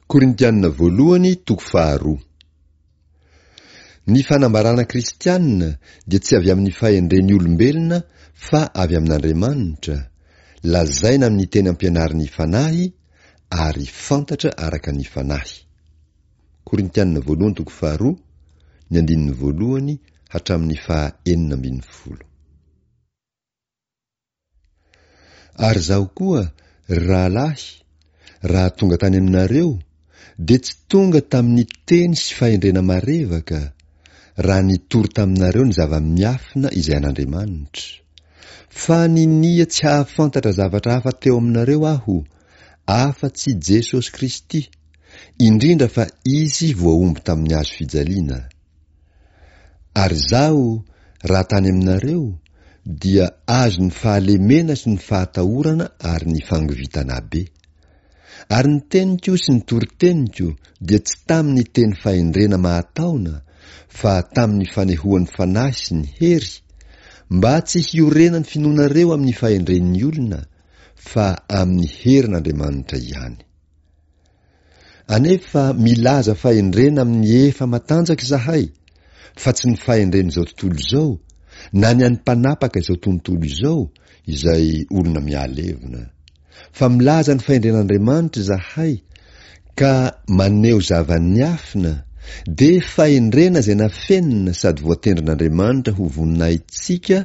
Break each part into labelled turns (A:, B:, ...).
A: Korintiana voalohany toko faharoa. Ny fanambarana kristiana dia tsy avy amin'ny fahendren'ny olombelona fa avy amin'Andriamanitra, lazaina amin'ny teny ampianarin'ny Fanahy ary fantatra araka ny Fanahy. Korintiana voalohany toko faharoa, ny andininy voalohany hatramin'ny faha 16. Ary izaho koa, ry rahalahy, raha tonga tany aminareo, dia tsy tonga tamin'ny teny sy fahendrena marevaka, raha nitory taminareo ny zava-miafina izay an'Andriamanitra. Fa ninia tsy hahafantatra zavatra hafa teo aminareo aho, afa-tsy Jesosy Kristy, indrindra fa Izy voahombo tamin'ny hazo fijaliana. Ary izaho, raha tany aminareo, dia azon'ny fahalemena sy ny fahatahorana ary ny fangovitana be. Ary ny teniko sy ny toriteniko dia tsy tamin'ny teny fahendrena mahataona, fa tamin'ny fanehoan'ny Fanahy sy ny hery, mba tsy hiorenan'ny finoanareo amin'ny fahendren'ny olona, fa amin'ny herin'Andriamanitra ihany. Anefa milaza fahendrena amin'ny efa matanjaka izahay, fa tsy ny fahendren'izao tontolo izao, na ny an'ny mpanapaka izao tontolo izao, izay olona mihalevona. Fa milaza ny fahendren'Andriamanitra izahay, ka maneho zava-niafina, dia fahendrena izay nafenina sady voatendrin'Andriamanitra ho voninahitsika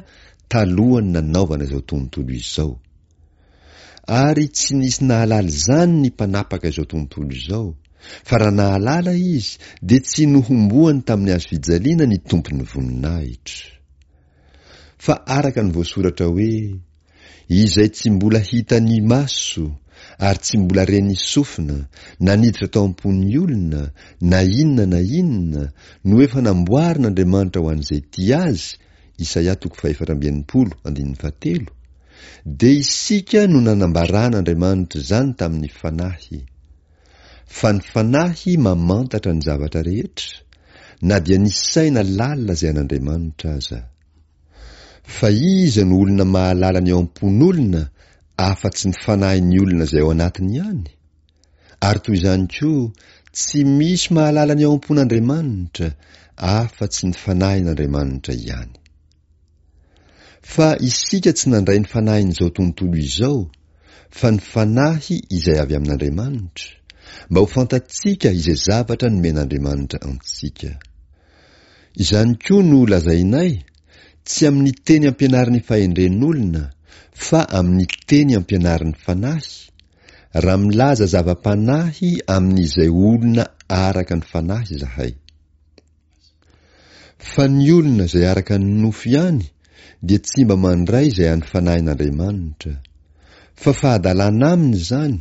A: talohan'ny nanaovana izao tontolo izao. Ary tsy nisy nahalala izany ny mpanapaka izao tontolo izao, fa raha nahalala izy dia tsy nohomboany tamin'ny hazo fijaliana ny Tompon'ny voninahitra. Fa araka ny voasoratra hoe, Izay tsy mbola hitan'ny maso, ary tsy mbola ren'ny sofina, na niditra tao am-pon'ny olona, na inona na inona, no efa namboarin'Andriamanitra ho an'izay tia Azy, Isaia toko fahefatra amby 60, andininy fahatelo, dia isika no nanambaran'Andriamanitra izany tamin'ny Fanahy. Fa ny Fanahy mamantatra ny zavatra rehetra, na dia ny saina lalina izay an'Andriamanitra aza. Fa iza no olona mahalala ny ao am-pon'olona afa-tsy ny fanahin'ny olona izay ao anatiny ihany? Ary toy izany koa, tsy misy mahalala ny ao am-pon'Andriamanitra afa-tsy ny Fanahin'Andriamanitra ihany. Fa isika tsy nandray ny fanahin'izao tontolo izao, fa ny Fanahy izay avy amin'Andriamanitra, mba ho fantatsika izay zavatra nomen'Andriamanitra antsika. Izany koa no lazainay, tsy amin'ny teny ampianarin'ny fahendren'olona, fa amin'ny teny ampianarin'ny Fanahy, raha milaza zava-panahy amin'izay olona araka ny Fanahy izahay. Fa ny olona izay araka ny nofo ihany dia tsy mba mandray izay an'ny Fanahin'Andriamanitra, fa fahadalana aminy izany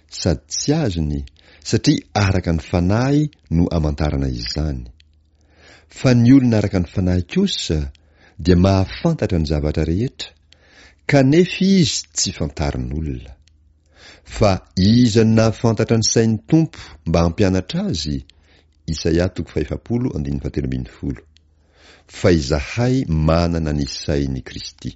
A: sady tsy azony, satria araka ny Fanahy no amantarana izany. Fa ny olona araka ny Fanahy kosa dia mahafantatra ny zavatra rehetra, kanefa izy tsy fantarin'olona. Fa iza no nahafantatra ny sain'ny Tompo mba hampianatra azy? Isaia toko fahefapolo andininy fahatelo ambin'ny folo. Fa izahay manana ny sain'i Kristy.